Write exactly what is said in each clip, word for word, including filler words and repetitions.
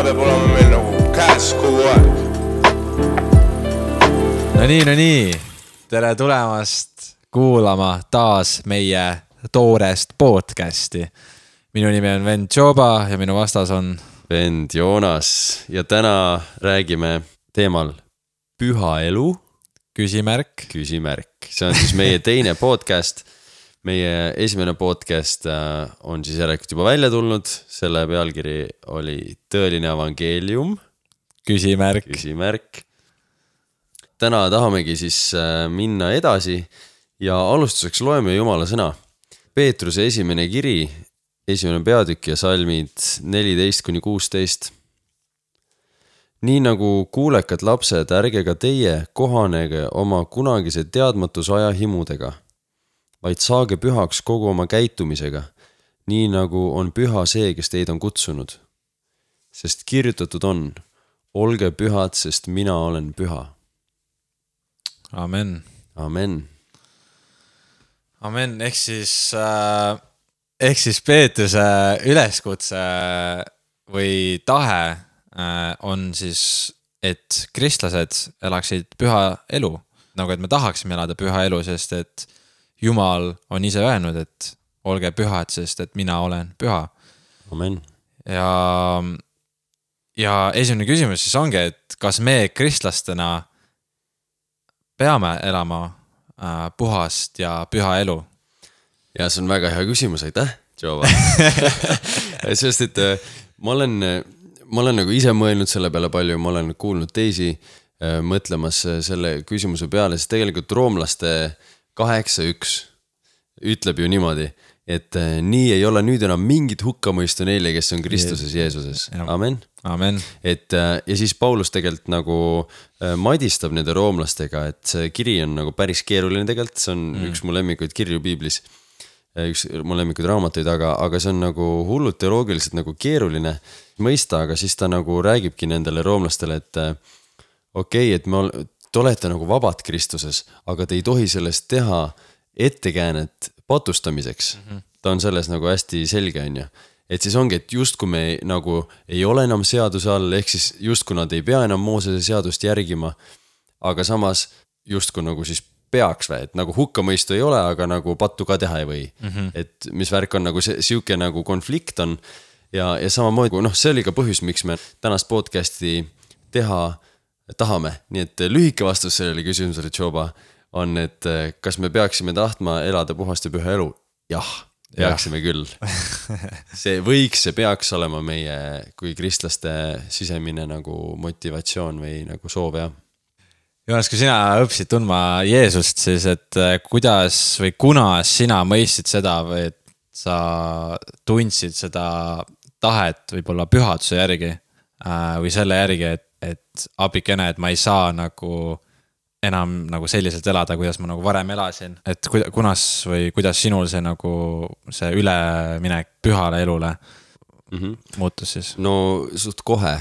peab olema meil nagu käes kogu aeg. No nii, no nii. Tere tulemast kuulama taas meie toorest podcasti. Minu nimi on Vend Joba ja minu vastas on Vend Joonas ja täna räägime teemal püha elu. Küsimärk. Küsimärk. See on siis meie teine podcast. Meie esimene podcast on siis järelikult juba välja tulnud. Selle pealkiri oli Tõeline evangeelium. Küsimärk. Küsimärk. Täna tahamegi siis minna edasi ja alustuseks loeme Jumala sõna. Peetruse esimene kiri, esimene peatükk ja salmid neliteist kuni kuusteist. Nii nagu kuulekad lapsed, ärge ka teie kohanege oma kunagise teadmatusaja himudega, vaid saage pühaks kogu oma käitumisega, nii nagu on püha see, kes teid on kutsunud. Sest kirjutatud on, olge pühad, sest mina olen püha. Amen. Amen. Amen. Ehk siis, äh, ehk siis Peetruse üleskutse või tahe äh, on siis, et kristlased elaksid püha elu. Nagu et me tahaksime elada püha elu, sest et Jumal on ise öelnud, et olge pühad, sest et mina olen püha. Amen. Ja, ja esimene küsimus siis ongi, et kas me kristlastena peame elama äh, puhast ja püha elu? Ja see on väga hea küsimus, aitäh, Joba. Sest et ma olen, ma olen nagu ise mõelnud selle peale palju, ma olen kuulnud teisi äh, mõtlemas selle küsimuse peale, sest tegelikult roomlaste kaheksa üks ütleb ju niimoodi, et nii ei ole nüüd enam mingit hukkamõistu neile, kes on Kristuses Jeesuses. Amen. Amen. Et, ja siis Paulus tegelikult nagu madistab nende roomlastega, et see kiri on nagu päris keeruline tegelikult, see on mm. üks mu lemmikuid kirju piiblis, üks mu lemmikuid raamatuid, aga, aga see on nagu hullult teoloogiliselt nagu keeruline mõista, aga siis ta nagu räägibki nendele roomlastele, et okei, okay, et me ol- Te olete nagu vabad Kristuses, aga te ei tohi sellest teha ettekäänet patustamiseks. Mm-hmm. Ta on selles nagu hästi selge, on ju. Et siis ongi, et just kui me nagu ei ole enam seaduse all, ehk siis just kui nad ei pea enam Moosese seadust järgima, aga samas just kui nagu siis peaks või, et nagu hukkamõistu ei ole, aga nagu pattu ka teha ei või. Mm-hmm. Et mis värk on nagu see siuke nagu konflikt on ja, ja samamoodi, noh, see oli ka põhjus, miks me tänast podcasti teha tahame. Nii et lühike vastus sellele küsimusele, Joba, on, et kas me peaksime tahtma elada puhast ja püha elu? Jah, peaksime küll. See võiks, see peaks olema meie kui kristlaste sisemine nagu motivatsioon või nagu soov, jah. Joonas, kui sina õppisid tundma Jeesust, siis et kuidas või kuna sina mõistsid seda või et sa tundsid seda tahet võib-olla pühaduse järgi või selle järgi, et et abikene, et ma ei saa nagu enam nagu selliselt elada, kuidas ma nagu varem elasin. Et kunas või kuidas sinul see nagu see üleminek pühale elule mm-hmm. muutus siis? No suht kohe,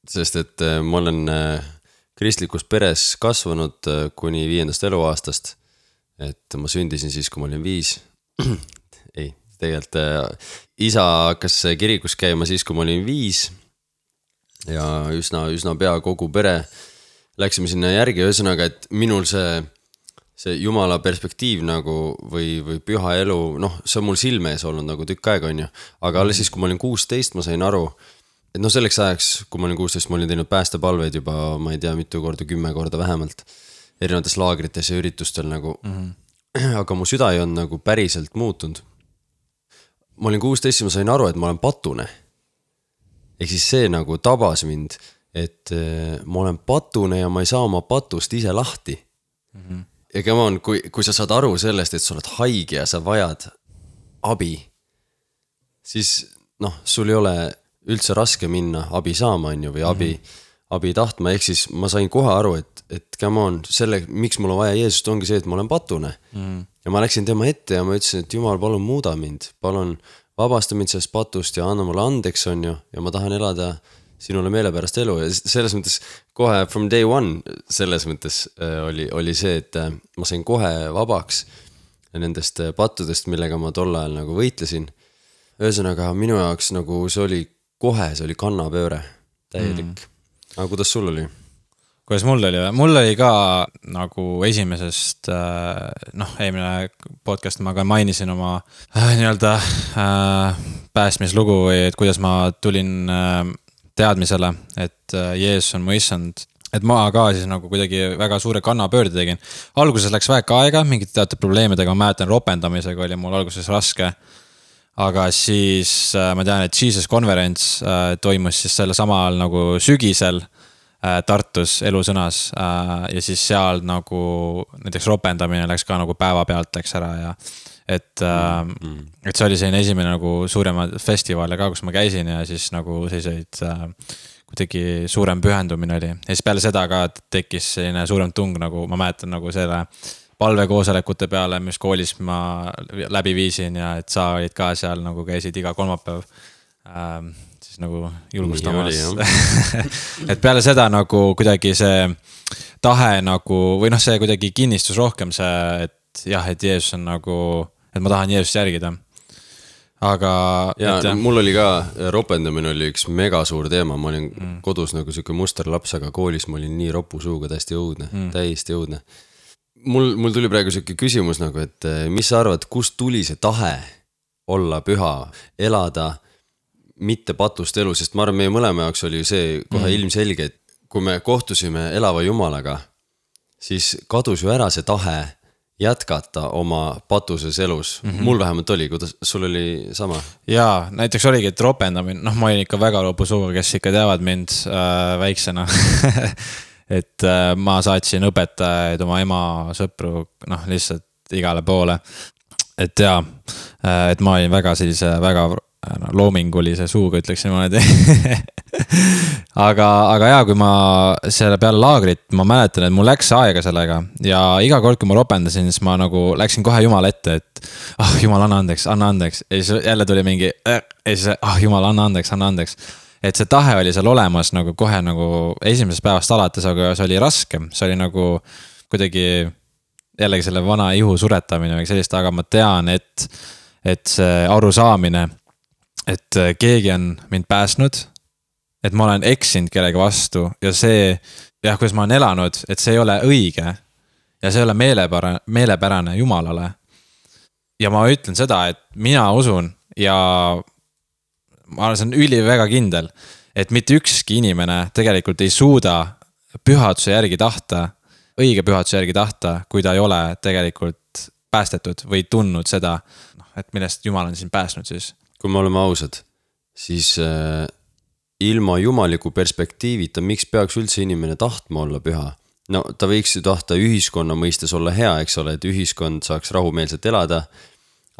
sest et ma olen kristlikus peres kasvanud kuni viiendast eluaastast. Et ma sündisin siis, kui ma olin viis. Ei, tegelikult isa hakkas kirikus käima siis, kui ma olin viis. Ja üsna, üsna pea kogu pere läksime sinna järgi, ühesõnaga, et minul see, see Jumala perspektiiv nagu või, või püha elu, noh, see on mul silme ees olnud nagu tükk aega, on ju. Aga alles siis, kui ma olin kuusteist, ma sain aru, et noh, selleks ajaks, kui ma olin kuusteist, ma olin teinud päästepalveid juba, ma ei tea, mitu korda, kümme korda vähemalt, erinevates laagrites ja üritustel nagu. Mm-hmm. Aga mu süda ei on nagu päriselt muutunud. Ma olin kuusteist ja ma sain aru, et ma olen patune. Ehk siis see nagu tabas mind, et ma olen patune ja ma ei saa oma patust ise lahti. Mm-hmm. Ja come on, kui, kui sa saad aru sellest, et sa oled haige ja sa vajad abi, siis noh, sul ei ole üldse raske minna abi saama, on ju, või abi, mm-hmm. abi tahtma. Ehk siis ma sain kohe aru, et, et come on, selle, miks mul on vaja Jeesust, ongi see, et ma olen patune. Mm-hmm. Ja ma läksin tema ette ja ma ütlesin, et Jumal, palun muuda mind, palun vabasta mind sellest patust ja anna mulle andeks, on ju, ja ma tahan elada sinule meelepärast elu. Ja selles mõttes kohe from day one selles mõttes oli, oli see, et ma sain kohe vabaks nendest pattudest, millega ma tol ajal nagu võitlesin. Ühesõnaga minu jaoks nagu see oli kohe, see oli kannapööre. täielik mm.. aga kuidas sul oli? Kuidas mul oli? Mul oli ka nagu esimesest, noh, eelmine podcast ma ka mainisin oma äh, nii-öelda äh, päästmislugu või et kuidas ma tulin äh, teadmisele, et äh, Jeesus on mu issand. Et ma ka siis nagu kuidagi väga suure kannapöörde tegin. Alguses läks väike aega, mingite teatud probleemidega, ma mäletan ropendamisega oli mul alguses raske. Aga siis ma tean, et Jesus Conference toimus siis selle samal nagu sügisel Tartus elusõnas ja siis seal nagu näiteks ropendamine läks ka nagu päeva pealt läks ära ja et, mm. et see oli selline esimene nagu suurema festivale ka, kus ma käisin ja siis nagu selliseid kuidagi suurem pühendumine oli. Ja siis peale seda ka tekkis selline suurem tung, nagu ma mäletan nagu selle palvekoosolekute peale, mis koolis ma läbi viisin ja et sa olid ka seal nagu käisid iga kolmapäev ähm, siis nagu julgustamas. Et peale seda nagu kuidagi see tahe nagu, või noh, see kuidagi kinnistus rohkem see, et jah, et Jeesus on nagu, et ma tahan Jeesust järgida. Aga ja et, mul oli ka, ropendamine oli üks mega suur teema, ma olin mm. kodus nagu siuke musterlaps, aga koolis ma olin nii ropu suuga, täiesti õudne, mm. täiesti õudne. Mul, mul tuli praegu siuke küsimus nagu, et mis sa arvad, kust tuli see tahe olla püha, elada mitte patust elu, sest ma arvan, meie mõlema jaoks oli see kohe mm. ilmselge, et kui me kohtusime elava Jumalaga, siis kadus ju ära see tahe jätkata oma patuses elus. Mm-hmm. Mul vähemalt oli, kuidas sul oli sama? Jaa, näiteks oligi, et ropendamine, noh ma olin ikka väga lopusuga, kes ikka teavad mind äh, väiksena. et äh, ma saatsin õpetajaid, oma ema sõpru, noh lihtsalt igale poole. Et jaa, äh, et ma olin väga sellise, väga no, loomingulise suuga, ütleks niimoodi. aga, aga jaa, kui ma selle peale laagrit, ma mäletan, et mul läks aega sellega ja iga kord, kui ma ropendasin, siis ma nagu läksin kohe Jumala ette, et ah, oh, Jumal, anna andeks, anna andeks. Ja siis jälle tuli mingi, ja siis ah, oh, Jumal, anna andeks, anna andeks. Et see tahe oli seal olemas nagu kohe nagu esimesest päevast alates, aga see oli raske. See oli nagu kuidagi jällegi selle vana ihu suretamine või sellist, aga ma tean, et, et see arusaamine, et keegi on mind pääsnud, et ma olen eksinud kellegi vastu ja see, jah, kuidas ma olen elanud, et see ei ole õige ja see ei ole meelepärane, meelepärane Jumalale. Ja ma ütlen seda, et mina usun ja ma olen see üli väga kindel, et mitte ükski inimene tegelikult ei suuda pühaduse järgi tahta, õige pühaduse järgi tahta, kui ta ei ole tegelikult päästetud või tundnud seda, et millest Jumal on siin pääsnud siis. Kui me oleme ausad, siis äh, ilma jumaliku perspektiivita, miks peaks üldse inimene tahtma olla püha? No ta võiks ju tahta ühiskonna mõistes olla hea, eks ole, et ühiskond saaks rahumeelselt elada,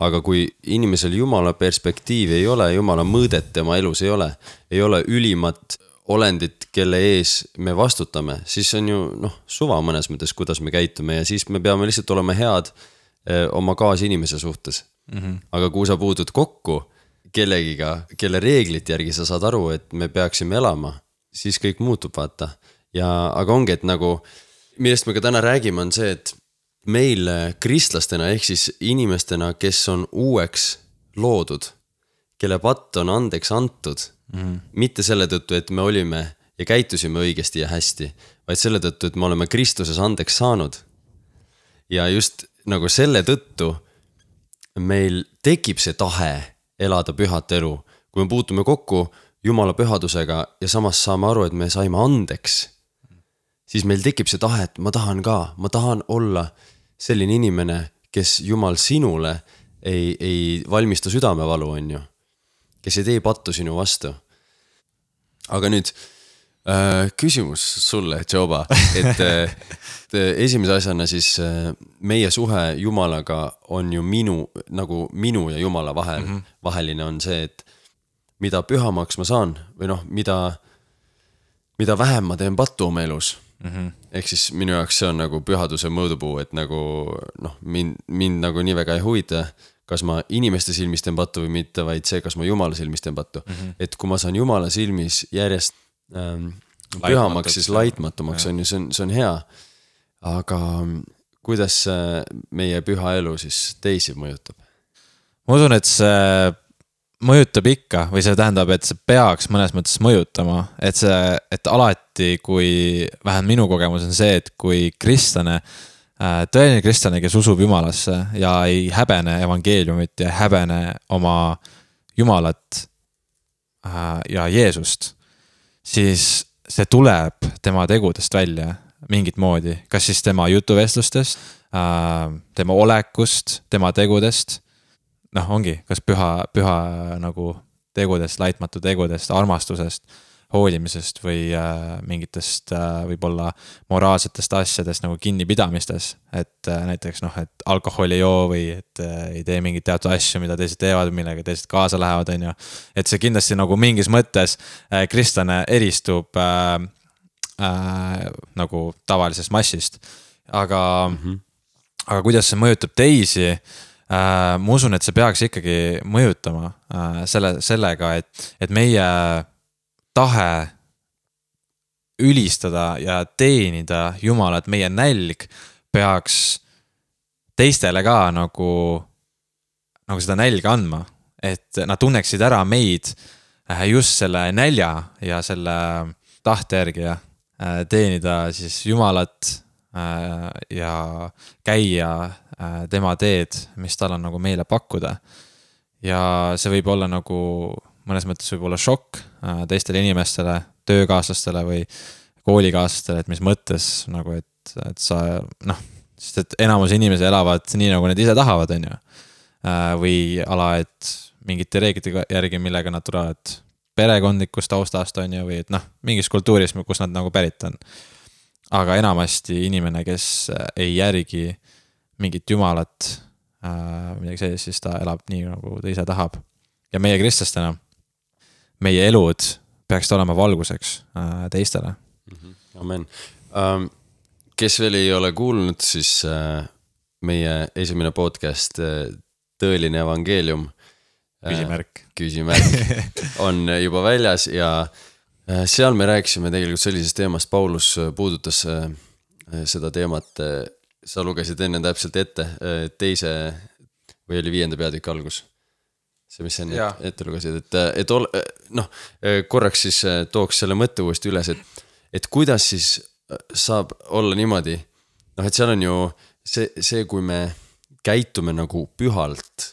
aga kui inimesel Jumala perspektiivi ei ole, Jumala mõõdet tema elus ei ole, ei ole ülimat olendit, kelle ees me vastutame, siis on ju noh, suva mõnes mõttes, kuidas me käitume ja siis me peame lihtsalt olema head eh, oma kaasinimese suhtes. Mm-hmm. Aga kui sa puudud kokku kellegiga, kelle reeglit järgi sa saad aru, et me peaksime elama, siis kõik muutub, vaata. Ja, aga ongi, et nagu, millest me ka täna räägime, on see, et meil kristlastena, ehk siis inimestena, kes on uueks loodud, kelle patt on andeks antud, mm. mitte selle tõttu, et me olime ja käitusime õigesti ja hästi, vaid selle tõttu, et me oleme Kristuses andeks saanud. Ja just nagu selle tõttu meil tekib see tahe elada pühat elu, kui me puutume kokku Jumala pühadusega ja samas saame aru, et me saime andeks, siis meil tekib see tahe, et ma tahan ka, ma tahan olla selline inimene, kes Jumal sinule ei, ei valmista südamevalu, on ju, kes ei tee pattu sinu vastu. Aga nüüd äh, küsimus sulle, Joba, et äh, esimese asjana siis meie suhe Jumalaga on ju minu, nagu minu ja Jumala vahel, mm-hmm. vaheline on see, et mida pühamaks ma saan või noh, mida, mida vähem ma teen pattu oma elus. Mm-hmm. Ehk siis minu jaoks see on nagu pühaduse mõõdupuu, et nagu noh, mind, mind nagu nii väga ei huvita, kas ma inimeste silmis teen pattu või mitte, vaid see, kas ma Jumala silmis teen pattu. Mm-hmm. Et kui ma saan Jumala silmis järjest ähm, pühamaks, siis laitmatumaks on ju, see on, see on hea. Aga kuidas meie püha elu siis teisi mõjutab? Ma usun, et see, mõjutab ikka või see tähendab, et see peaks mõnes mõttes mõjutama, et see, et alati, kui vähemalt minu kogemus on see, et kui kristlane, tõeline kristlane, kes usub Jumalasse ja ei häbene evangeeliumit ja ei häbene oma Jumalat ja Jeesust, siis see tuleb tema tegudest välja mingit moodi, kas siis tema jutuvestlustest, tema olekust, tema tegudest, noh ongi, kas püha, püha nagu tegudest, laitmatu tegudest, armastusest, hoolimisest või äh, mingitest äh, võib-olla moraalsetest asjadest nagu kinnipidamistes, et äh, näiteks noh, et alkohol ei joo või et äh, ei tee mingit teatud asju, mida teised teevad, millega teised kaasa lähevad, on ju. Et see kindlasti nagu mingis mõttes äh, kristlane eristub äh, äh, nagu tavalisest massist, aga, mm-hmm. aga kuidas see mõjutab teisi, äh, ma usun, et see peaks ikkagi mõjutama äh, selle, sellega, et, et meie tahe ülistada ja teenida Jumalat, meie nälg peaks teistele ka nagu, nagu seda nälga andma, et nad tunneksid ära meid just selle nälja ja selle tahte järgi ja teenida siis Jumalat ja käia tema teed, mis tal on nagu meile pakkuda. Ja see võib olla nagu mõnes mõttes võib olla šokk teistele inimestele, töökaaslastele või koolikaaslastele, et mis mõttes nagu, et, et sa noh, sest et enamus inimesi elavad nii, nagu nad ise tahavad, on ju. Või ala, et mingite reeglite järgi, millega nad tulevad perekondlikust taustast, on ju, või et noh, mingis kultuuris, kus nad nagu pärit on. Aga enamasti inimene, kes ei järgi mingit Jumalat, midagi sellist, siis ta elab nii, nagu ta ise tahab. Ja meie kristlastena, meie elud peaks olema valguseks äh, teistele. Mm-hmm. Amen. Um, kes veel ei ole kuulnud, siis äh, meie esimene podcast äh, Tõeline evangeelium äh, Küsimärk. Küsimärk on juba väljas ja äh, seal me rääkisime tegelikult sellisest teemast, Paulus puudutas äh, seda teemat, äh, sa lugesid enne täpselt ette äh, teise või oli viienda peatüki algus. See, mis enne ette, ette lugesid, et, et ol, noh, korraks siis tooks selle mõtte uuesti üles, et, et kuidas siis saab olla niimoodi, noh, et seal on ju see, see, kui me käitume nagu pühalt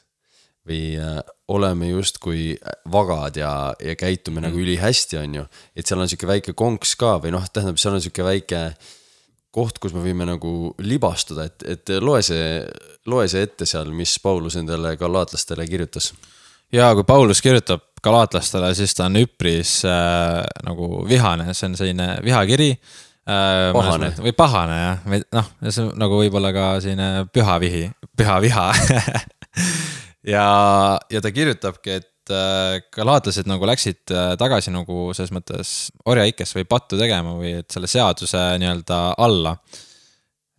või oleme just kui vagad ja, ja käitume mm. nagu üli hästi, on ju, et seal on siuke väike konks ka või noh, tähendab, seal on siuke väike koht, kus me võime nagu libastuda, et, et loe see, loe see ette seal, mis Paulus endale galaatlastele kirjutas. Ja kui Paulus kirjutab galaatlastele, siis ta on üpris äh, nagu vihane, see on selline vihakiri. Äh, pahane. Või pahane, jah. Noh, see on nagu võib-olla ka selline püha vihi, püha viha. ja, ja ta kirjutabki, et äh, galaatlased nagu läksid äh, tagasi nagu selles mõttes orjaikes või pattu tegema või et selle seaduse nii-öelda alla.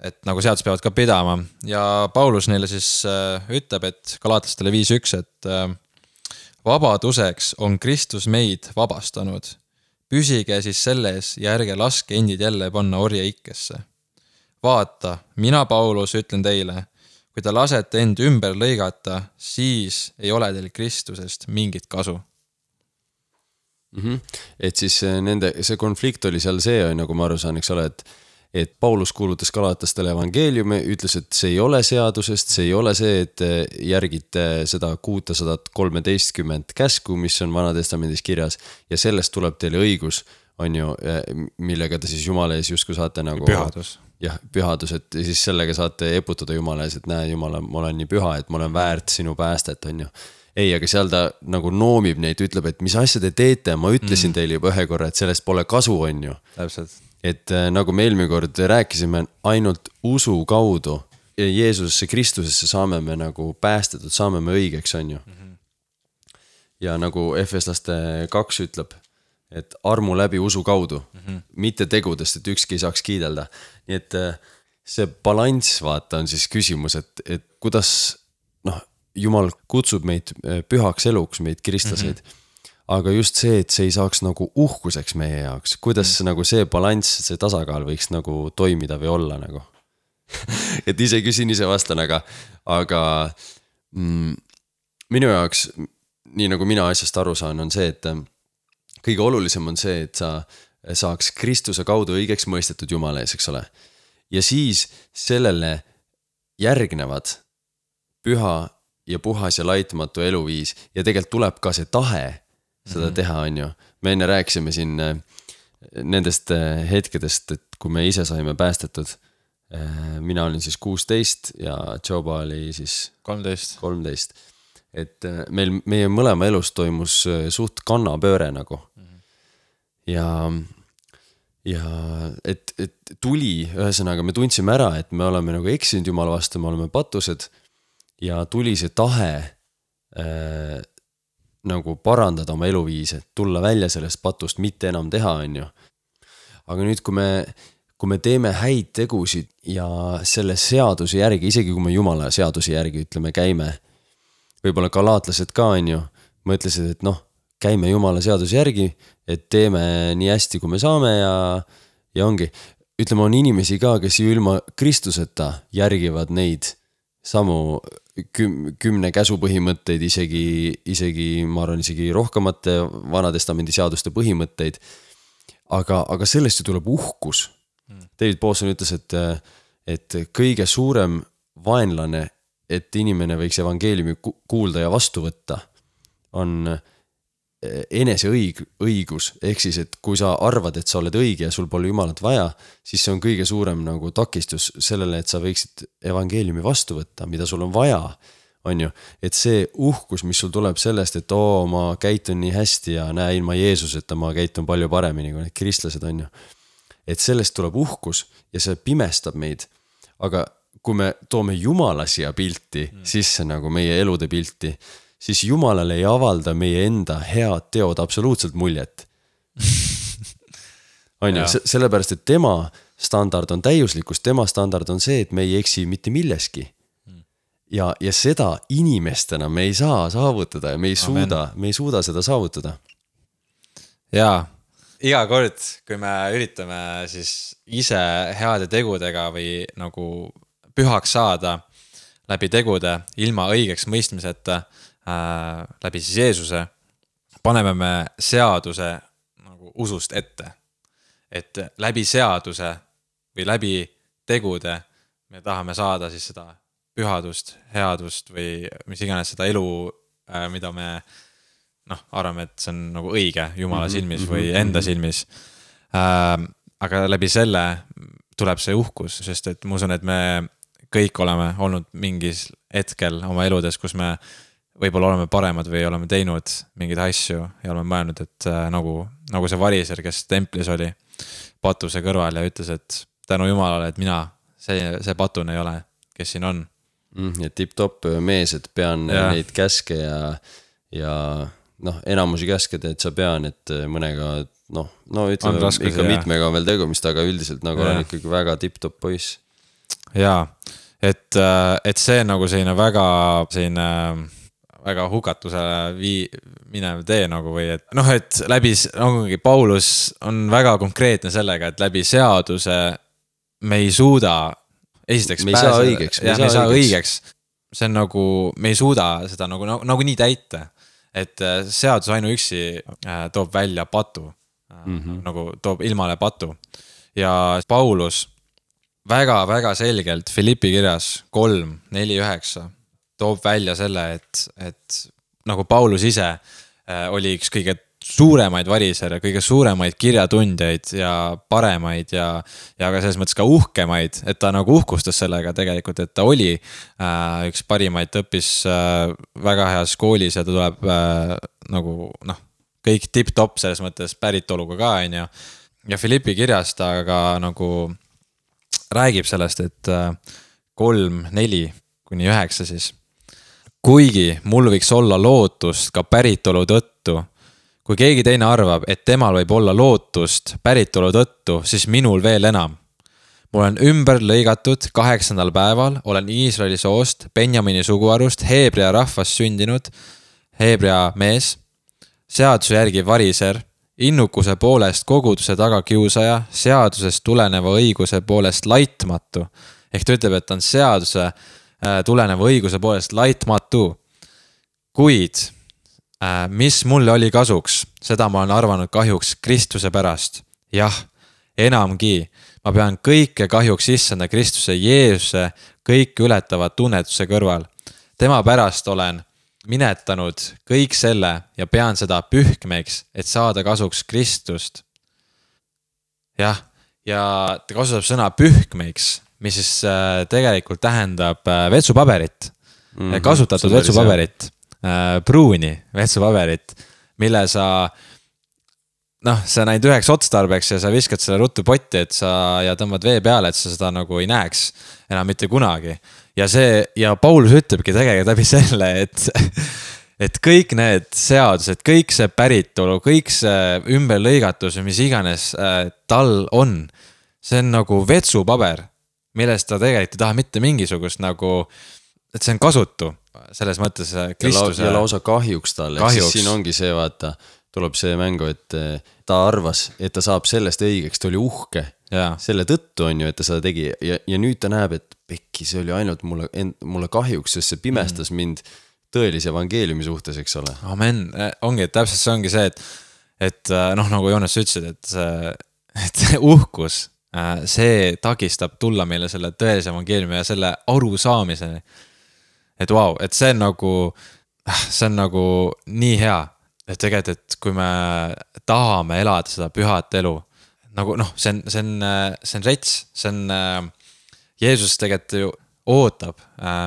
Et nagu seadus peavad ka pidama. Ja Paulus neile siis äh, ütleb, et galaatlastele viis üks, et äh, vabaduseks on Kristus meid vabastanud. Püsige siis selles ja ärge laske endid jälle panna orja ikkesse. Vaata, mina Paulus ütlen teile, kui te lasete end ümber lõigata, siis ei ole teil Kristusest mingit kasu. Mm-hmm. Et siis nende, see konflikt oli seal see, nagu ma aru saan, eks ole, et et Paulus kuulutas galaatlastele evangeeliumi, ütles, et see ei ole seadusest, see ei ole see, et järgite seda kuussada kolmteist käsku, mis on Vanatestamendis kirjas ja sellest tuleb teile õigus, on ju, millega te siis Jumala ees justkui saate nagu pühadus. Jah, pühadus, et siis sellega saate eputada Jumala ees, et näe, Jumala, ma olen nii püha, et ma olen väärt sinu päästet, on ju. Ei, aga seal ta nagu noomib neid, ütleb, et mis asja te teete, ma ütlesin mm. teile juba ühe korra, et sellest pole kasu, on ju. Täpselt. Et nagu me eelmine kord rääkisime, ainult usu kaudu ja Jeesusesse, Kristusesse saame me nagu päästetud, saame me õigeks, on ju. Mm-hmm. Ja nagu Efeslaste kaks ütleb, et armu läbi usu kaudu, mm-hmm. mitte tegudest, et ükski ei saaks kiidelda. Nii et see balanss, vaata, on siis küsimus, et, et kuidas, noh, Jumal kutsub meid pühaks eluks, meid kristlaseid. Mm-hmm. Aga just see, et see ei saaks nagu uhkuseks meie jaoks. Kuidas mm. nagu see balanss, see tasakaal võiks nagu toimida või olla nagu. Et ise küsin, ise vastan, aga, aga mm, minu jaoks nii nagu mina asjast aru saan, on see, et kõige olulisem on see, et sa saaks Kristuse kaudu õigeks mõistetud Jumala ees, eks ole. Ja siis sellele järgnevad püha ja puhas ja laitmatu eluviis ja tegelikult tuleb ka see tahe seda mm-hmm. teha, on ju. Me enne rääkisime siin nendest hetkedest, et kui me ise saime päästetud, mina olin siis kuusteist ja Joba oli siis kolmteist. kolmteist. Et meil, meie mõlema elus toimus suht kannapööre nagu. Mm-hmm. Ja, ja et, et tuli, ühesõnaga me tundsime ära, et me oleme nagu eksinud Jumala vastu, me oleme patused ja tuli see tahe äh, nagu parandada oma eluviise, tulla välja sellest patust, mitte enam teha, on ju. Aga nüüd, kui me, kui me teeme häid tegusid ja selle seaduse järgi, isegi kui me Jumala seaduse järgi ütleme, käime, võib-olla galaatlased ka, on ju, mõtlesid, et noh, käime Jumala seaduse järgi, et teeme nii hästi, kui me saame ja, ja ongi. Ütleme, on inimesi ka, kes ju ilma Kristuseta järgivad neid samu küm, kümne käsu põhimõtteid, isegi, isegi, ma arvan, isegi rohkemate Vanatestamendi seaduste põhimõtteid. Aga, aga sellest ju tuleb uhkus. David Pawson ütles, et, et kõige suurem vaenlane, et inimene võiks evangeeliumi kuulda ja vastu võtta, on enese õig, õigus. Ehk siis, et kui sa arvad, et sa oled õige ja sul pole Jumalat vaja, siis see on kõige suurem nagu takistus sellele, et sa võiksid evangeeliumi vastu võtta, mida sul on vaja, on ju. Et see uhkus, mis sul tuleb sellest, et oo, ma käitun nii hästi ja näe, ilma Jeesuseta ma käitun palju paremini kui need kristlased, on ju. Et sellest tuleb uhkus ja see pimestab meid. Aga kui me toome Jumala siia pilti, mm. sisse nagu meie elude pilti, siis Jumalale ei avalda meie enda head teod absoluutselt muljet. On ju, sellepärast, et tema standard on täiuslikkus, tema standard on see, et me ei eksi mitte milleski. Ja, ja seda inimestena me ei saa saavutada ja me ei suuda, me ei suuda seda saavutada. Jaa, iga kord, kui me üritame siis ise heade tegudega või nagu pühaks saada läbi tegude, ilma õigeks mõistmiseta, äh, läbi siis Jeesuse, paneme me seaduse nagu usust ette. Et läbi seaduse või läbi tegude me tahame saada siis seda pühadust, headust või mis iganes seda elu, mida me noh, arvame, et see on nagu õige Jumala silmis või enda silmis. Aga läbi selle tuleb see uhkus, sest et ma usun, et me kõik oleme olnud mingis hetkel oma eludes, kus me võib-olla oleme paremad või oleme teinud mingeid asju ja oleme mõelnud, et nagu, nagu see variser, kes templis oli patuse kõrval ja ütles, et tänu Jumalale, et mina, see, see patun ei ole, kes siin on. Ja tip-top mees, et pean ja. Neid käske ja, ja noh, enamusi käske teed sa pean, et mõnega, noh, no ütleme, raskus, ikka ja. Mitmega on veel tegumist, aga üldiselt nagu ja. On ikkagi väga tip-top poiss. Jaa, et, et see on nagu selline väga, selline väga hukatusele vii, minev tee nagu või et noh, et läbi, nagu Paulus on väga konkreetne sellega, et läbi seaduse me ei suuda esiteks me ei saa õigeks. Me ei saa, saa õigeks. See on nagu, me ei suuda seda nagu, nagu, nagu nii täita. Et seadus ainuüksi toob välja patu. Mm-hmm. Nagu toob ilmale patu. Ja Paulus väga, väga selgelt Filippi kirjas kolm, neli, üheksa toob välja selle, et, et nagu Paulus ise oli üks kõige suuremaid varisere, kõige suuremaid kirjatundjaid ja paremaid ja, ja ka selles mõttes ka uhkemaid, et ta nagu uhkustas sellega tegelikult, et ta oli äh, üks parimaid, ta õppis äh, väga heas koolis ja ta tuleb äh, nagu noh, kõik tip-top selles mõttes päritoluga ka, on ju. Ja Filippi kirjas ta aga nagu räägib sellest, et äh, kolm, neli kuni üheksa siis. Kuigi mul võiks olla lootust ka päritolu tõttu, kui keegi teine arvab, et temal võib olla lootust päritolu tõttu, siis minul veel enam. Mul on ümber lõigatud kaheksandal päeval, olen Iisraeli soost, Benjamini suguarust, Heebrea rahvast sündinud, Heebrea mees, seaduse järgi variser, innukuse poolest koguduse tagakiusaja, seadusest tuleneva õiguse poolest laitmatu. Ehk ta ütleb, et ta on seaduse tuleneva õiguse poolest laitmatu. Kuid mis mulle oli kasuks, seda ma olen arvanud kahjuks Kristuse pärast. Jah, enamgi, ma pean kõike kahjuks issanda Kristuse Jeesuse kõik ületava tunnetuse kõrval. Tema pärast olen minetanud kõik selle ja pean seda pühkmeks, et saada kasuks Kristust. Jah, ja ta kasutab sõna pühkmeks, mis siis tegelikult tähendab vetsupaberit, mm-hmm, kasutatud vetsupaberit, pruuni vetsupaberit, mille sa, noh, sa näid üheks otstarbeks ja sa viskad selle ruttu potti, et sa ja tõmbad vee peale, et sa seda nagu ei näeks enam mitte kunagi. Ja see, ja Paulus ütlebki tegelikult läbi selle, et, et kõik need seadused, kõik see päritolu, kõik see ümberlõigatus, mis iganes tal on, see on nagu vetsupaber, millest ta tegelikult ei taha mitte mingisugust nagu, et see on kasutu selles mõttes Kristuse. Ja lausa kahjuks talle, siis siin ongi see, vaata, tuleb see mängu, et ta arvas, et ta saab sellest õigeks, ta oli uhke. Ja. Selle tõttu on ju, et ta seda tegi ja, ja nüüd ta näeb, et pekki, see oli ainult mulle, mulle kahjuks, sest see pimestas mm. mind tõelise evangeeliumi suhtes, eks ole. Amen, ongi, et täpselt see ongi see, et, et noh, nagu Joonas ütlesid, et see, et see uhkus, see takistab tulla meile selle tõelise evangeeliumi ja selle aru saamiseni. Et vau, wow, et see on nagu, see on nagu nii hea, et tegelikult, et kui me tahame elada seda pühat elu, nagu noh, see on, see on, see on rets, see on, Jeesus tegelikult ju ootab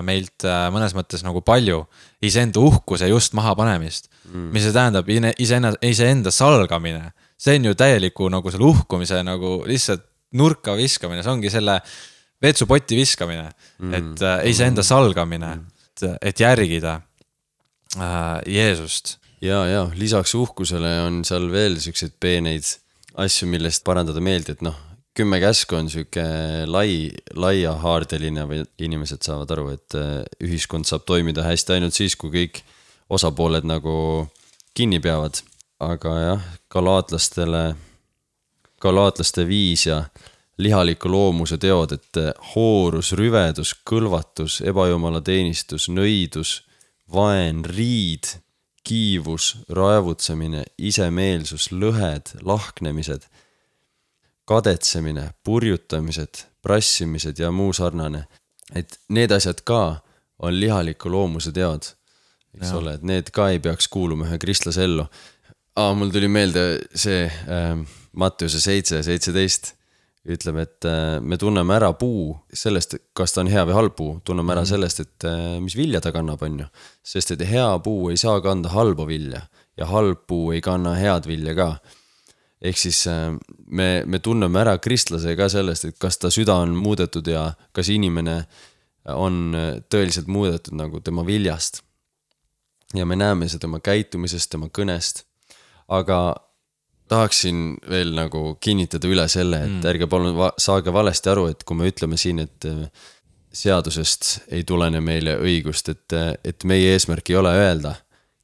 meilt mõnes mõttes nagu palju iseenda uhkuse just maha panemist, mm. mis see tähendab iseenda, iseenda salgamine. See on ju täieliku nagu selle uhkumise nagu lihtsalt nurka viskamine, see ongi selle vetsupoti viskamine, mm. et iseenda salgamine, mm. et, et järgida äh, Jeesust. Ja, ja, lisaks uhkusele on seal veel selliseid peeneid asju, millest parandada meeldi, et noh, kümme käsku on selline lai, laia haardeline või inimesed saavad aru, et ühiskond saab toimida hästi ainult siis, kui kõik osapooled nagu kinni peavad. Aga jah, galaatlastele, galaatlaste viis ja lihaliku loomuse teod, et hoorus, rüvedus, kõlvatus, ebajumala teenistus, nõidus, vaen, riid, kiivus, raevutsemine, isemeelsus, lõhed, lahknemised, kadetsemine, purjutamised, prassimised ja muu sarnane. Et need asjad ka on lihaliku loomuse teod, eks ja. Ole, et need ka ei peaks kuuluma ühe kristlase ellu. Aa, mul tuli meelde see äh, Matteuse seitse seitseteist ütleb, et äh, me tunneme ära puu sellest, kas ta on hea või halb puu, tunneme ära mm. sellest, et äh, mis vilja ta kannab on ju. Sest et hea puu ei saa kanda halba vilja ja halb puu ei kanna head vilja ka. Ehk siis äh, me, me tunneme ära kristlase ka sellest, et kas ta süda on muudetud ja kas inimene on tõeliselt muudetud nagu tema viljast. Ja me näeme seda tema käitumisest, tema kõnest. Aga tahaksin veel nagu kinnitada üle selle, et mm. ärge palun va- saage valesti aru, et kui me ütleme siin, et seadusest ei tulene meile õigust, et, et meie eesmärk ei ole öelda,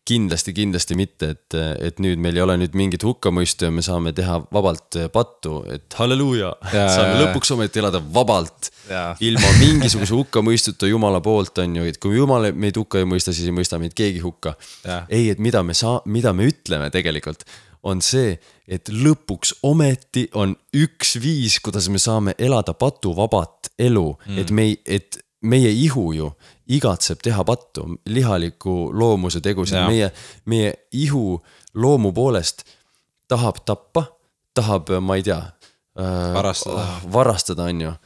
kindlasti, kindlasti mitte, et, et nüüd meil ei ole nüüd mingit hukkamõistu ja me saame teha vabalt pattu, et halleluuja, saame lõpuks ometi elada vabalt, ja. Ilma mingisuguse hukkamõistuta Jumala poolt on ju, et kui Jumal meid hukka ei mõista, siis ei mõista meid keegi hukka. Ja. Ei, et mida me, saa, mida me ütleme tegelikult, on see, et lõpuks ometi on üks viis, kuidas me saame elada patuvabat elu, mm. et, me, et meie ihu ju igatseb teha pattu, lihaliku loomuse tegusid, meie, meie ihu loomu poolest tahab tappa, tahab, ma ei tea, varastada, äh, varastada on ju,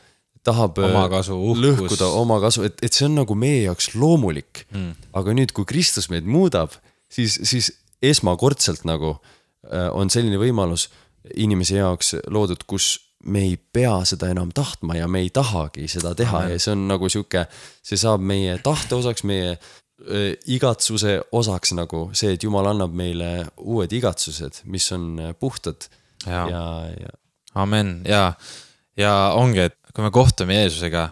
tahab omakasu, lõhkuda omakasu, et, et see on nagu meie jaoks loomulik, mm. aga nüüd, kui Kristus meid muudab, siis, siis esmakordselt nagu on selline võimalus inimese jaoks loodud, kus me ei pea seda enam tahtma ja me ei tahagi seda teha ja see on nagu siuke, see saab meie tahte osaks, meie äh, igatsuse osaks nagu see, et Jumal annab meile uued igatsused, mis on puhtad ja, ja, ja... Amen, ja, ja ongi, et kui me kohtume Jeesusega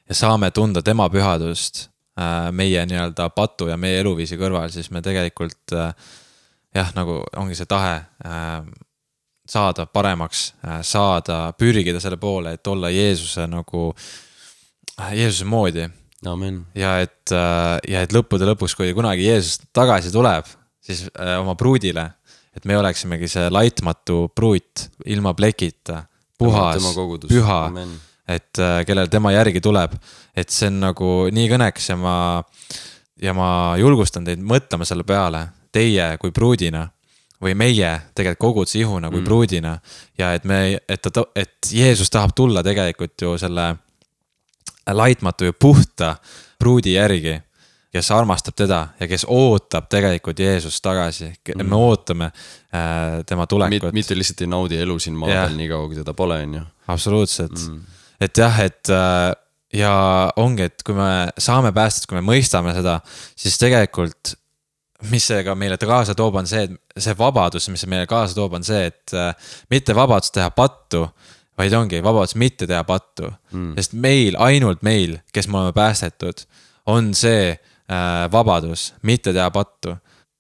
ja saame tunda tema pühadust äh, meie nii-öelda patu ja meie eluviisi kõrval, siis me tegelikult äh, jah, nagu ongi see tahe äh, saada paremaks, äh, saada, pürgida selle poole, et olla Jeesuse nagu, äh, Jeesuse moodi. Amen. Ja et, äh, ja et lõppude lõpuks, kui kunagi Jeesus tagasi tuleb, siis äh, oma pruudile, et me oleksimegi see laitmatu pruut ilma plekita, puhas, püha, Amen. Et äh, kellel tema järgi tuleb, et see on nagu nii kõneks ja ma, ja ma julgustan teid mõtlema selle peale, teie kui pruudina või meie tegelikult koguduse ihuna kui mm. pruudina ja et me, et, ta, et Jeesus tahab tulla tegelikult ju selle laitmatu ja puhta pruudi järgi, kes armastab teda ja kes ootab tegelikult Jeesust tagasi. Mm. Me ootame äh, tema tulekut. Mitte lihtsalt ei naudi elu siin maa peal nii kaua, kui teda pole, on ju. Absoluutselt. Mm. Et jah, et äh, ja ongi, et kui me saame päästet, kui me mõistame seda, siis tegelikult mis see ka meile kaasa toob on see, et see vabadus, mis meile kaasa toob on see, et äh, mitte vabadus teha pattu, vaid ongi vabadus mitte teha pattu. Mm. Sest meil, ainult meil, kes me oleme päästetud, on see äh, vabadus mitte teha pattu.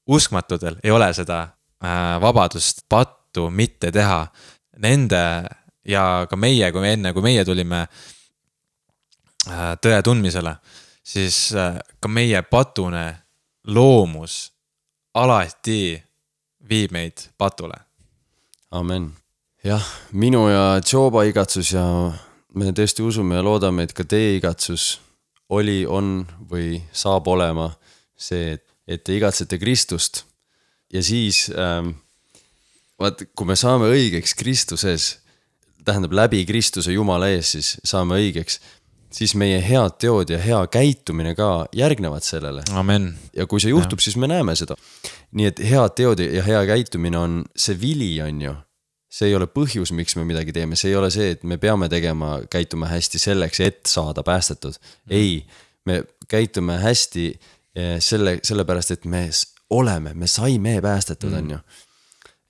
Uskmatudel ei ole seda äh, vabadust pattu mitte teha. Nende ja ka meie, kui me enne, kui meie tulime äh, tõe tundmisele, siis äh, ka meie patune loomus alati viib meid patule. Amen. Jah, minu ja Joba igatsus ja me tõesti usume ja loodame, et ka teie igatsus oli, on või saab olema see, et te igatsete Kristust. Ja siis, ähm, vaat, kui me saame õigeks Kristuses, tähendab läbi Kristuse Jumala ees, siis saame õigeks, siis meie head teod ja hea käitumine ka järgnevad sellele. Amen. Ja kui see juhtub, ja. Siis me näeme seda. Nii et head teod ja hea käitumine on see vili, on ju. See ei ole põhjus, miks me midagi teeme. See ei ole see, et me peame tegema, käituma hästi selleks, et saada päästetud. Mm. Ei, me käitume hästi selle, sellepärast, et me oleme, me saime päästetud, mm. on ju.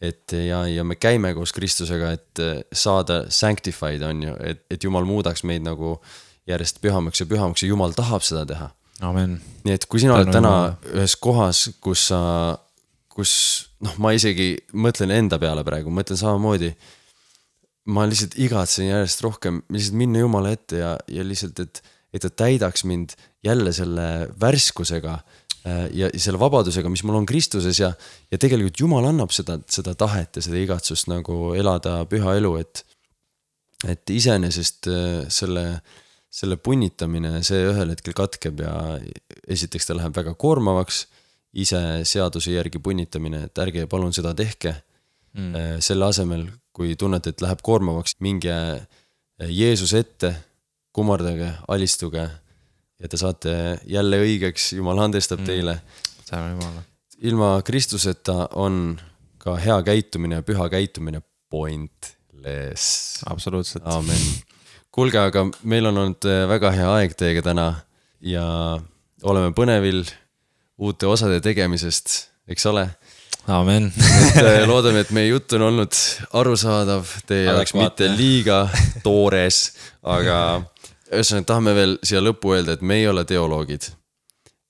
Et ja, ja me käime koos Kristusega, et saada sanctified, on ju. Et, et Jumal muudaks meid nagu järjest pühamaks ja pühamaks ja Jumal tahab seda teha. Amen. Nii et kui sina oled täna ühes kohas, kus sa, kus, noh, ma isegi mõtlen enda peale praegu, mõtlen samamoodi, ma lihtsalt igatsen järjest rohkem, lihtsalt minna Jumala ette ja, ja lihtsalt, et, et ta täidaks mind jälle selle värskusega ja selle vabadusega, mis mul on Kristuses ja, ja tegelikult Jumal annab seda, seda tahet ja seda igatsust nagu elada püha elu, et, et iseenesest selle selle punnitamine, see ühel hetkel katkeb ja esiteks ta läheb väga koormavaks, ise seaduse järgi punnitamine, et ärge palun seda tehke. Mm. Selle asemel, kui tunnete, et läheb koormavaks, minge Jeesus ette, kummardage, alistuge ja te saate jälle õigeks, Jumal andestab teile. Mm. Ilma Kristuseta on ka hea käitumine ja püha käitumine pointless. Absoluutselt. Amen. Kuulge, aga meil on olnud väga hea aeg teiega täna ja oleme põnevil uute osade tegemisest, eks ole? Amen. et loodame, et meie jutt on olnud arusaadav, teie jaoks mitte liiga toores, aga ühesõnaga tahame veel siia lõppu öelda, et me ei ole teoloogid.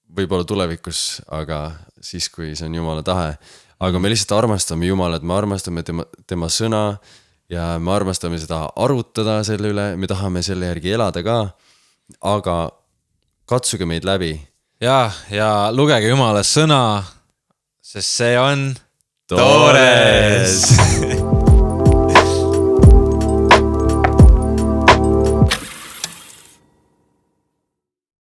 Võib-olla tulevikus, aga siis, kui see on Jumala tahe. Aga me lihtsalt armastame Jumalat, me armastame tema, tema sõna, ja me armastame seda arutada selle üle, me tahame selle järgi elada ka, aga katsuge meid läbi. Ja, ja lugege Jumala sõna, sest see on toores.